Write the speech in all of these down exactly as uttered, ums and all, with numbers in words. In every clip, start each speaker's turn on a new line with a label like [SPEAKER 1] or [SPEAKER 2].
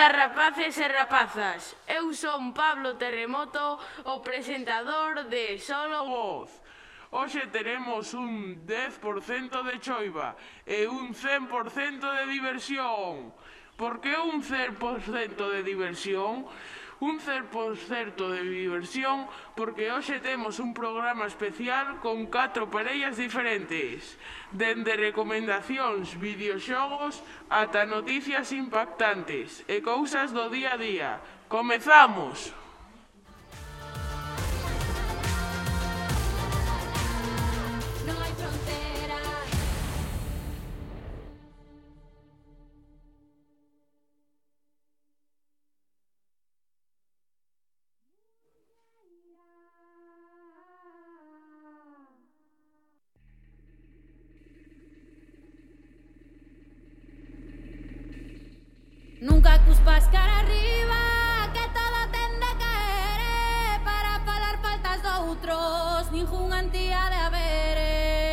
[SPEAKER 1] Ola, rapaces e rapazas, eu son Pablo Terremoto, o presentador de Solo Voz. Hoxe teremos un dez por cento de choiva e un cen por cento de diversión. Por que un cen por cento de diversión? Un cen por cento de diversión porque hoxe temos un programa especial con catro parellas diferentes, dende recomendacións, videoxogos ata noticias impactantes e cousas do día a día. Comezamos!
[SPEAKER 2] Nunca cuspas cara arriba, que todo ten de caer. Para falar faltas doutros, ningunha antía de haber.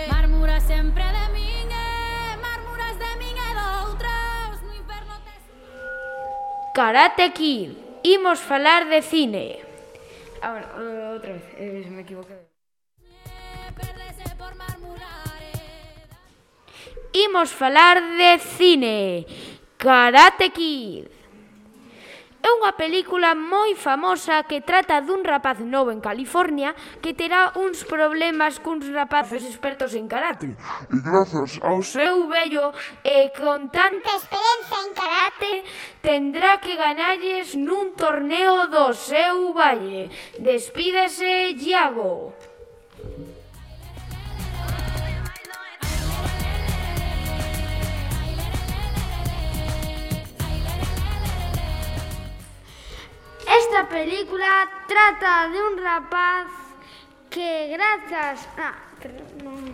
[SPEAKER 2] Marmuras sempre de min, eh, marmuras de min e doutros. No inferno te...
[SPEAKER 3] Karate Kid, imos falar de cine. Ah, bueno, outra vez, eh, me equivoquei.
[SPEAKER 2] Perdese por marmurar.
[SPEAKER 3] Imos falar de cine. Karate Kid é unha película moi famosa que trata dun rapaz novo en California que terá uns problemas cuns rapaces expertos en karate.
[SPEAKER 4] E grazas ao
[SPEAKER 3] Seu vello e con tanta experiencia en karate tendrá que ganalles nun torneo do seu valle. Despídese, Iago. Esta película trata de un rapaz que grazas... Ah, pero non...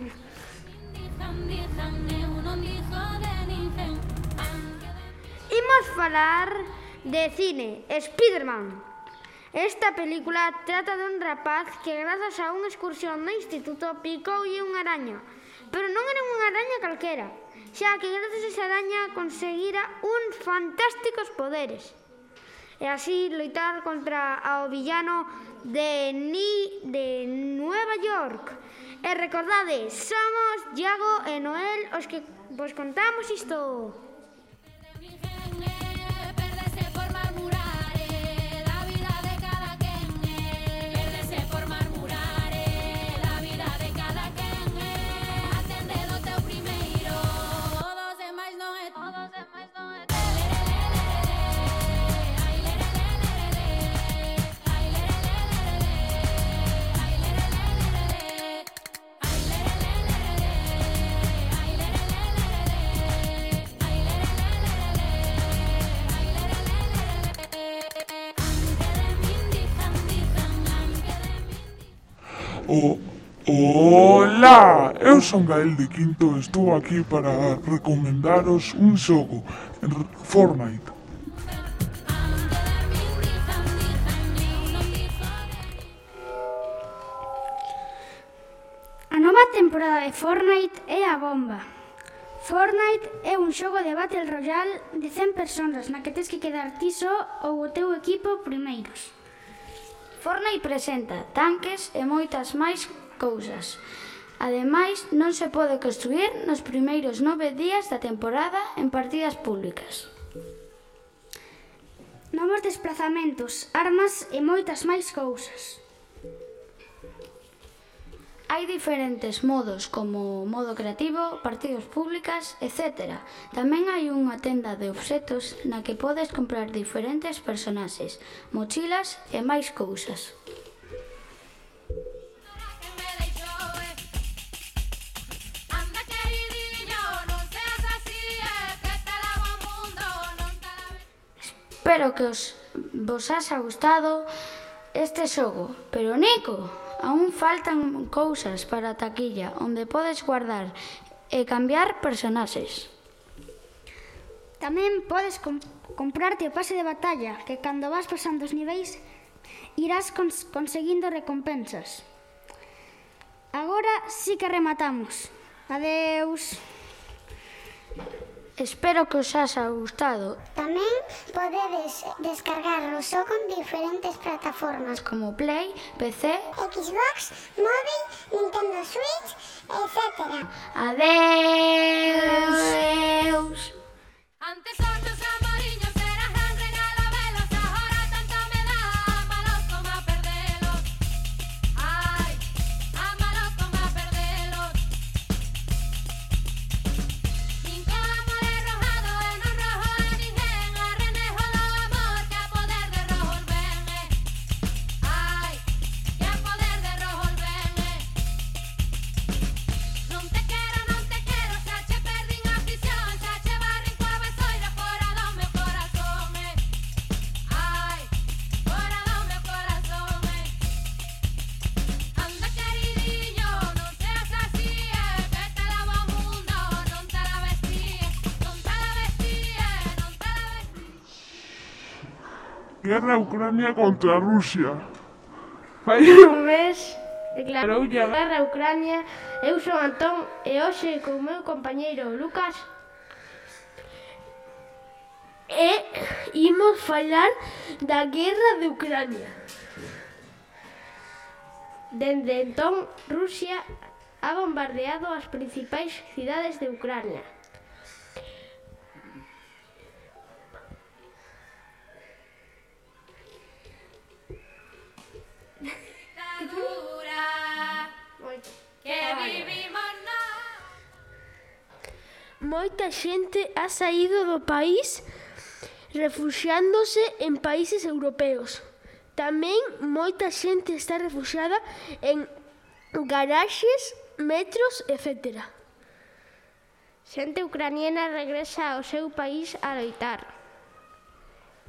[SPEAKER 3] Imos falar de cine, Spiderman. Esta película trata de un rapaz que grazas a unha excursión no instituto picoulle unha araña. Pero non era unha araña calquera, xa que grazas a esa araña conseguira uns fantásticos poderes. E así loitar contra o villano de Ni de Nueva York. E recordade, somos Iago e Noel os que vos contamos isto.
[SPEAKER 4] O... Ola! Eu son Gael de Quinto e estou aquí para recomendaros un xogo, Fortnite.
[SPEAKER 5] A nova temporada de Fortnite é a bomba. Fortnite é un xogo de Battle Royale de cen persoas na que tes que quedar ti só ou o teu equipo primeiros. Fortnite presenta tanques e moitas máis cousas. Ademais, non se pode construir nos primeiros nove días da temporada en partidas públicas. Novos desplazamentos, armas e moitas máis cousas. Hai diferentes modos como modo creativo, partidas públicas, etcétera. Tamén hai unha tenda de obxetos na que podes comprar diferentes personaxes, mochilas e máis cousas. Espero que os vos haxa gustado este xogo, pero Nico, aún faltan cousas para a taquilla onde podes guardar e cambiar personaxes. Tamén podes comp comprarte o pase de batalla, que cando vas pasando os niveis irás cons conseguindo recompensas. Agora sí que rematamos. Adeus.
[SPEAKER 3] Espero que os haxa gustado.
[SPEAKER 6] Tamén podedes descargar o xogo en diferentes plataformas
[SPEAKER 3] Como Play, P C...
[SPEAKER 6] Xbox, móvil, Nintendo Switch, etcétera.
[SPEAKER 3] Adeus.
[SPEAKER 2] Antes otros amoriños eran gran regalo velos, ahora tanto me da, ámalos como a perdelos. Ay, ámalos como a perdelos. Cinco amores rojados en un rojo de ninguén, a renejo do amor que a poder de rojo vene. Ay, que a poder de rojo vene. Non te quero, non te quero, xa che perdín a prisión, xa che barrin coa besoira fora do meu corazón, eh. Ai, fora do meu corazón, eh. Anda queridinho, non seas así, eh. Vete logo ao mundo, non te la vestíes, non te la vestíes, non te la vestíes.
[SPEAKER 4] Guerra Ucrania contra Rusia.
[SPEAKER 1] Fai
[SPEAKER 3] Un mes
[SPEAKER 1] declarou ya
[SPEAKER 3] Guerra Ucrania. Eu son Antón e hoxe con o meu compañeiro Lucas e imos falar da guerra de Ucrania. Dende entón, Rusia ha bombardeado as principais cidades de Ucrania.
[SPEAKER 2] Dura, que vivimos nós.
[SPEAKER 3] Moita xente ha saído do país refuxiándose en países europeos. Tamén moita xente está refuxiada en garaxes, metros, etcétera. Xente ucraniana regresa ao seu país a loitar.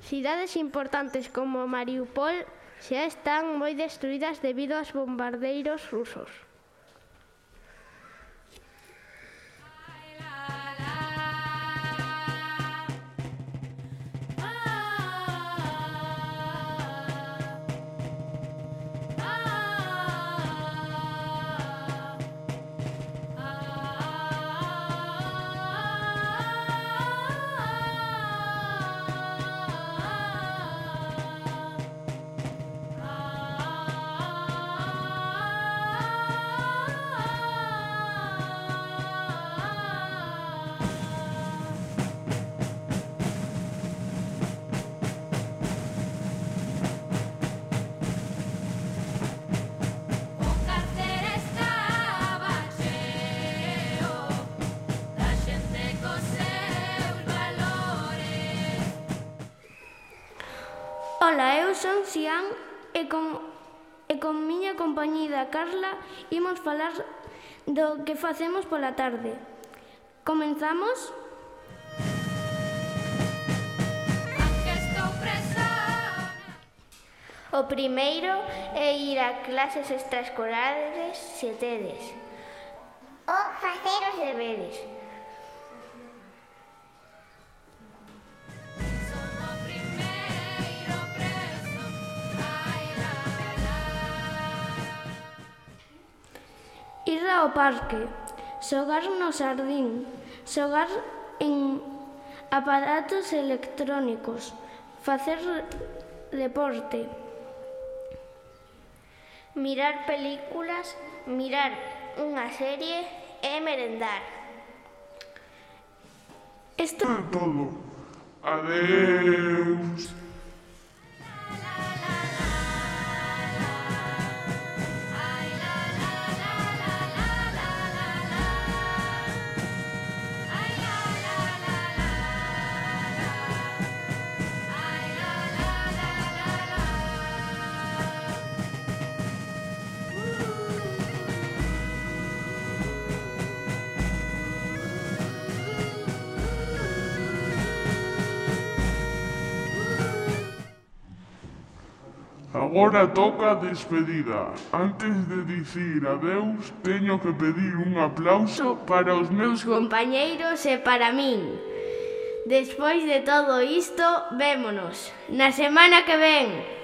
[SPEAKER 3] Cidades importantes como Mariupol xa están moi destruídas debido aos bombardeiros rusos.
[SPEAKER 2] O cartel estaba cheo da xente cos seus valores.
[SPEAKER 3] Ola, eu son Xian e con, e con miña compañida Carla imos falar do que facemos pola tarde. Comenzamos?
[SPEAKER 2] Aunque estou preso.
[SPEAKER 3] O primeiro é ir a clases extraescolares se tedes.
[SPEAKER 6] O facer os
[SPEAKER 3] Deberes.
[SPEAKER 2] Son o primeiro preso. Ai, la, la.
[SPEAKER 3] Ir ao parque, xogar no xardín, xogar en aparatos electrónicos, facer deporte, mirar películas, mirar unha serie e merendar. Isto
[SPEAKER 4] É todo. Adeus. Agora toca a despedida. Antes de dicir adeus, teño que pedir un aplauso
[SPEAKER 1] para os meus
[SPEAKER 3] compañeiros e para min. Despois de todo isto, vémonos na semana que ven.